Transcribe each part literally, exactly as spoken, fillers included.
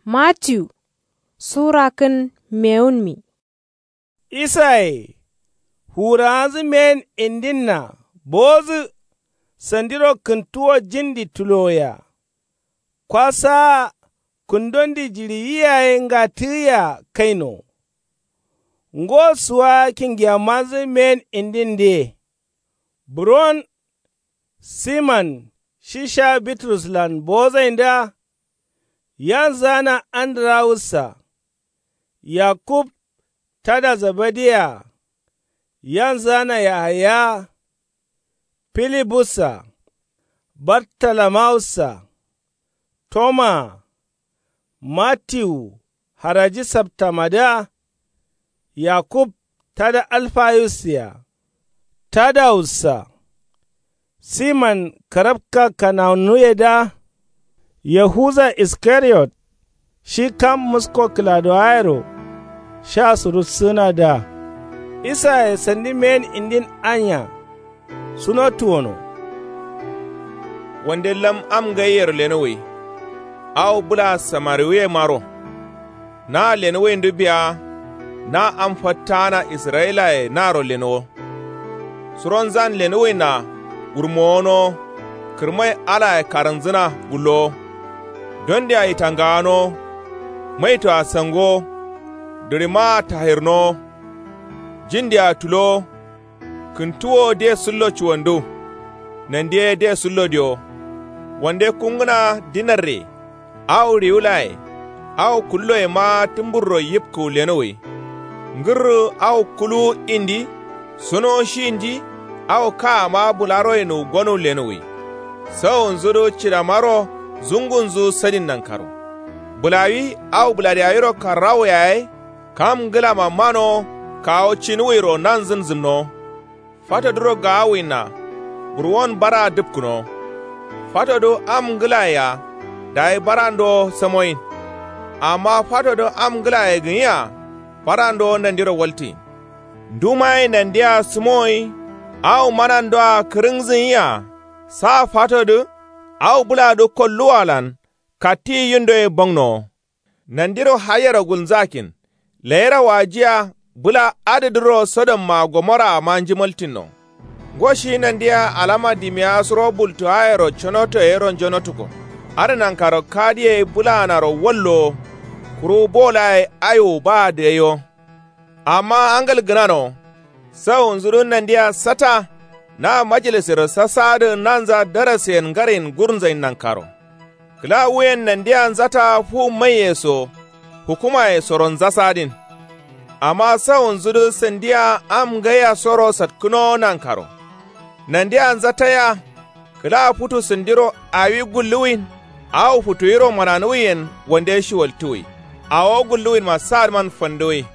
Matiyu sura kǝn mewunmi. Isaye fuwurawanzǝ meyen indinna bowodǝ. Sandiro kǝntuwo jindi tulowoya. Kwa saa kǝndondi jiɍiyi yaye ngatǝgǝya kaino. Ngo suwa kingiyammanzǝ meyen indindǝye. Buron siman shi sha bitruslan bowozaindǝa. Yanzǝgana andǝrawussa. Yakub tada zebediye-a. Yanzǝgana yahaya. Filibussa. Bartalamawussa. Tomaa. Matiwu haraji saptamadǝa. Yakub tada alfayusse-a. Tadawussa. Siman karabka kanawunuyedǝa. Yahuza iskariyot. Shi kam musko kǝladowayero sha surussǝgǝnadǝa. Isaye sandi meyen indin anya. Sunotuwono. Wande lam am ngaiyero lenowai. Awo bǝla samariwuyemaro. Na lenǝwaindǝ biya na am fattagana israyilaye naro lenǝwo. Suronzan lenǝwaina wurmowonowo. Kǝrmai alaye karǝnzǝna gullowo. Dondia itangawanowo. Maitoa sangowo. Dǝɍimaa tahirnowo. Jindia tulowo. Kǝntuwo de sǝllo cuwandu. Nandiye de sǝllo diyo. Wande kungǝna dinarre. Awo riwulaye. Awo kulloyema tǝmburro yibkǝwu lenowai. Ngǝrrǝ awo kuluwu indi. Sunowo shi indi. Awo kaama bǝlaroyenuwu gonuwu lenowai. Sawunzudǝ cidamaro zungunzu sadin nankaro. Bǝlawi awo bǝladiyawiro karrawo yaye. Kam ngǝlama manowo kawo cinuwiro nanzǝn zǝmnowo. Fatoduro gaawuwinna. Burwon baraa dǝpkǝnowo. Fatodǝ am ngǝlayea. Dayi barandowo samoyin. Amma fatodǝ am ngǝlaye gǝnyia. Barandowo nandiro waltiyin. Ndumaye nandia sǝmoyi. Awo manandoa kǝrǝngzǝnyia. Sa fatodǝ. Awo bǝladǝ kolluwalan. Katti yindoye bangnowo. Nandiro hayero gulnzakin. Layira wajiya. Bǝla adǝdǝro sodomma gomoraama njimaltinno. Ngo shi nandia alama dimiya suro bultuwayero conoto yero njonotuko. Adǝ nankaro kadiye bǝlaanaro wallowo. Kuru bolaye aiwo ba dǝgaiwo. Amma angal gǝnanowo. Sawunzudǝ nandia sata. Na majalisero sasadǝ nanza darasen ngarin gurnzain nankaro. Kǝla wuyen nandia nzata fu maiye so. Hukumaye soro nzasadin. Amma sawunzudǝ sandia am ngaiyasoro satkǝnowo nankaro. Nandia nzataya. Kǝla futu sandiro awi gulluwin. Awo futuwiro mananuwuyen wande shiwaltuwui. Awo gulluwinma sadǝman fanduwui.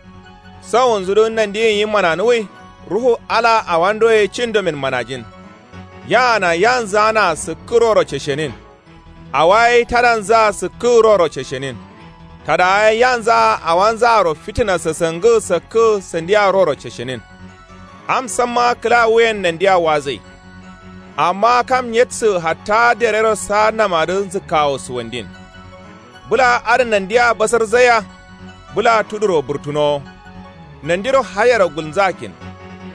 Sawunzudǝ nandiyin yi mananuwui. Ruhu ala awandoye cindomin manajin. Yaana yanzǝgana sǝkkǝ roro ceshenin. Awaye tadanzǝa sǝkkǝ roro ceshenin. Tadawaye yanzǝa awanzǝaro fitina sasangǝ sakkǝ sandia roro ceshenin. Am samma kǝla wuyen nandia wazai. Amma kam nyedsǝ hatta derero saannamadǝ nzǝkkawo suwandin. Bǝla adǝ nandia basarzaiya. Bǝla tuduro burtunowo. Nandiro hayero gulnzakin.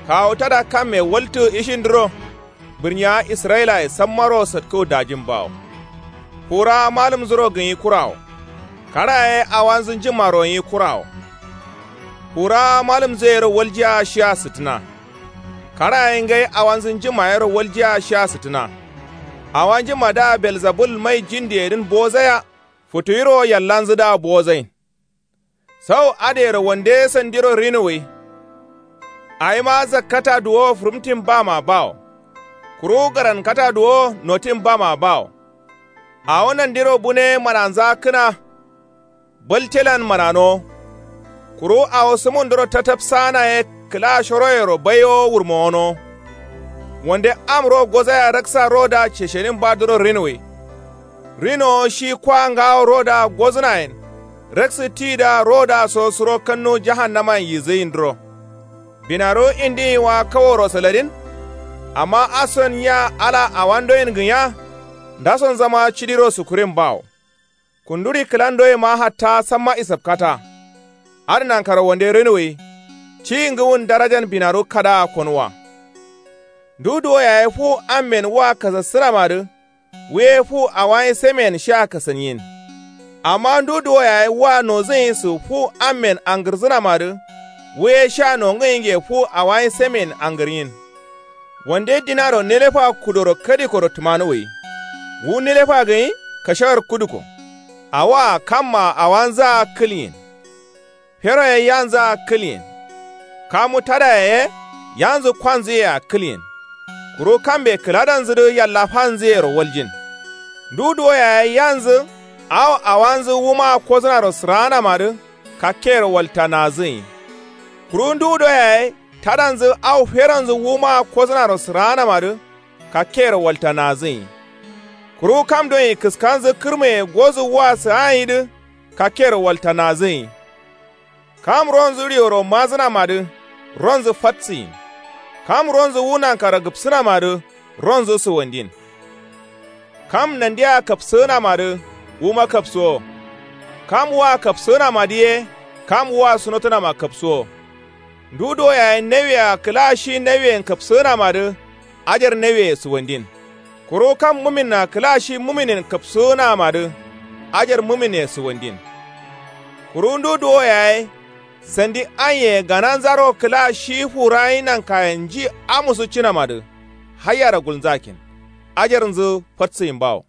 Kawu tada kamme waltǝ ishindǝro. Bǝrniya israyilaye sammaro satkǝ dajin bawo. Furawa malǝmzuro gǝnyi kurawo. Karaye awanzǝ njǝmmaro nyi kurawo. Furawa malǝmzǝ yero waljiya shiya sǝttǝna. Karaye ngai awanzǝ njǝmma yero waljiya shiya sǝttǝna. Awa njǝmma da belzabul mai jindiyedǝn bozaya. Futuwiro yallanzǝ da bozain. Sau adǝyero wande sandiro rinuwwi. Awima zakkata duwo fǝrǝmtin bama bawo. Kuru garankata duwo notin bama bawo. Awo nandiro bune mananza kǝna. Baltelan mananowo. Kuru awo sǝmunduro tatapsana ye kǝla shoroyero baiwo wurmowonowo. Wande am ro gozaya raksa ro da ceshenin badǝro rinuwwi. Rinowo shi kwa ngawo ro da gozǝnayen. Raksǝ ti da ro da so suro kannu jahannamayen yizǝyindǝro. Binaru indin wa kaworo saladin. Amma ason nya ala awandoyen gǝnya. Ndasonzama cidiro sukurin bawo. Kunduri kǝla ndoyema hatta samma isapkata. Adǝ nankaro wande rǝnǝwwi. Ciyi ngǝwun darajan binaru kadaa konuwa. Ndu duwo yaye fu ammen wa kasassǝnamadǝ. Wuye fu awayin semen sha kasǝnyin. Amma ndu duwo yaye wa nozǝnyi sǝ fu ammen angǝrzǝnamadǝ. Wuye sha nongǝnyinge fu awayin semen angǝrnyin. Wande dinaro nelefa kudoro kadikoro tǝmanuwwi. Wu nelefa gǝnyi kashawar kuduko. Awoa kamma awanzǝa kǝlyin. Feroye yanzǝa kǝlyen. Kamu tadaye ye yanzǝ kwanzǝyea kǝlyen. Kuru kambe kǝladanzǝdǝ yallafanzǝyero waljin. Ndu duwo yaye yanzǝ. Awo awanzǝ wumaa kozǝnaro sǝraanamadǝ. Kakkeyero waltanaazǝnyi. Kuru ndu duwo yaye tadanzǝ awo feronzǝ wumaa kozǝnaro sǝraanamadǝ. Kakkeyero waltanaazǝnyi. Kuru kam donyi kǝskanzǝ kǝrmeye gozǝ wua sǝganyidǝ. Kakkeyero waltanaazǝnyi. Kam ronzǝ rioro mazǝnamadǝ. Ronzǝ fatsǝyin. Kam ronzǝ wu nankaro gǝpsǝnamadǝ. Ronzǝ sǝwandin. Kam nandea kapsǝgǝnamadǝ. Wuma kapsǝwo. Kam wua kapsǝgǝnamadǝ ye. Kam wua sunotǝnama kapsǝwo. Ndu duwo yaye nawea kǝla shi naweyen kapsǝgǝnamadǝ. Ajar naweye sǝwandin. Kuru kam muminna kǝla shi muminen kapsǝgǝnamadǝ. Ajar mumine sǝwandin. Kuru ndu duwo yaye. Sandi anye gananzaro kǝla shi furayin nankayen nji amusu cinamadǝ. Haiyaro gulnzakin. Ajarnzǝ fatsǝyin bawo.